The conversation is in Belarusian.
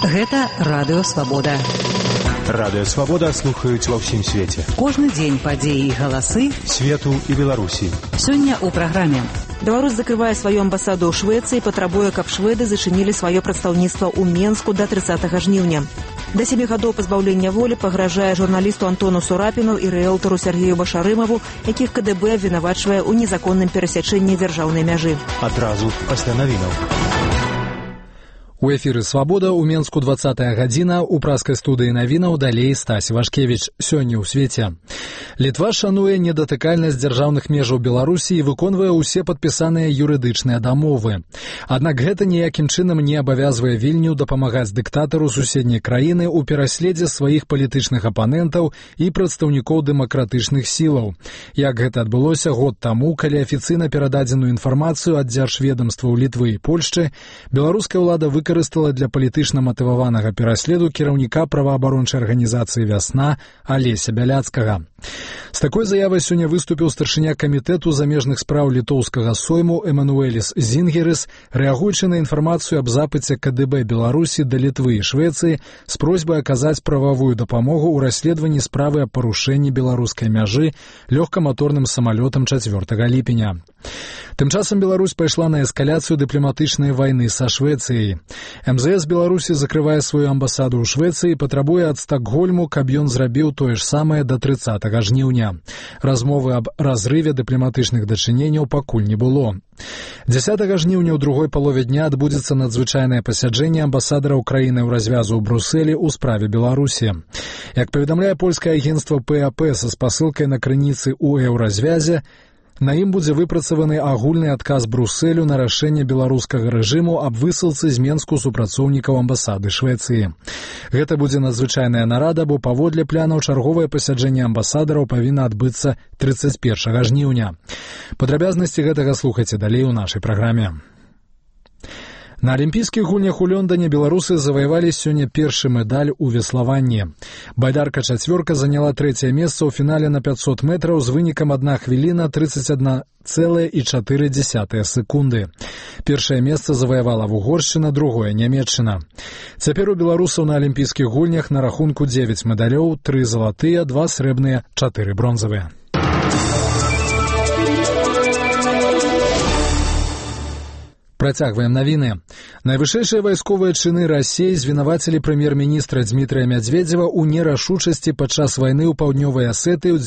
Гэта Радыё Свабода. Радыё Свабода слухаюць ва ўсім свеце. Кожны дзень падзеі і галасы свету і Беларусі. Сёння ў праграме. Беларусь закрывае сваю амбасаду ў Швецыі і патрабуе, каб шведы зачынілі сваё прадстаўніцтва ў Менску да 30 жніўня. Да 7 гадоў пазбаўлення волі пагражае журналісту Антону Сурапіну і рыэлтару Сергею Башарымаву, якіх КДБ абвінавачвае ў незаконным перасячэнні дзяржаўнай мяжы. Адразу пасля навінаў. У эфіры «Свабода» ў Менску 20 гадзіна, у праскай студыі навінаў далей Стась Вашкевіч. Сёння ў свеце. Літва шануе недатыкальнасць дзяржаўных межаў Беларусі і выконвае ўсе падпісаныя юрыдычныя дамовы. Аднак гэта ніякім чынам не абавязвае Вільню дапамагаць дыктатару суседняй краіны ў пераследзе сваіх палітычных апанентаў і прадстаўнікоў дэмакратычных сілаў. Як гэта адбылося год таму, калі афіцыйна перададзеную інфармацыю ад дзяржведамстваў Літвы і Польшчы, беларуская ўлада выкарыстала для палітычна матываванага пераследу кіраўніка праваабарончай арганізацыі «Вясна» Алеся Бяляцкага. З такой заявай сёння выступіў старшыня камітэту замежных спраў літоўскага сойму Эмануэліс Зінгерыс, рэагуючы на інфармацыю аб запыце КДБ Беларусі да Літвы і Швецыі з просьбай аказаць прававую дапамогу ў расследаванні справы аб парушэнні беларускай мяжы лёгкаматорным самалётам 4 ліпеня. Тым часам Беларусь пайшла на эскаляцыю дыпламатычнай вайны са Швецыяй. МЗС Беларусі закрывае сваю амбасаду ў Швецыі і патрабуе ад Стакгольму, каб ён зрабіў тое ж самае да 30 жніўня. Размовы аб разрыве дыпламатычных дачыненняў пакуль не было. 10 жніўня ў другой палове дня адбудзецца надзвычайнае пасяджэнне амбасадараў краіны ў развязу ў Брусэлі ў справе Беларусі. Як паведамляе польскае агенцтва ПАП са спасылкай на крыніцы ў еўразвязе, на ім будзе выпрацаваны агульны адказ Брусэлю на рашэнне беларускага рэжыму аб высылцы з Менску супрацоўнікаў амбасады Швецыі. Гэта будзе надзвычайная нарада, бо паводле планаў чарговае пасяджэнне амбасадараў павінна адбыцца 31 жніўня. Падрабязнасці гэтага слухайце далей у нашай праграме. На алімпійскіх гульнях у Лондоне беларусы заваявалі сёння першы медаль у веславанні. Байдарка-чацвёрка заняла 3-е месца ў фінале на 500 метраў з вынікам 1 хвіліна 31,4 секунды. Першае месца заваявала Угоршчына, другое Нямецчына. Цяпер у беларусаў на алімпійскіх гульнях на рахунку 9 медалёў, 3 залатыя, 2 срэбныя, 4 бронзавыя. Працягваем навіны. Найвышэйшыя вайсковыя чыны Расіі звінавацілі прэм'ер-міністра Дмітрыя Мядзведзева ў нерашучасці падчас вайны ў паўднёвай Асетыі ў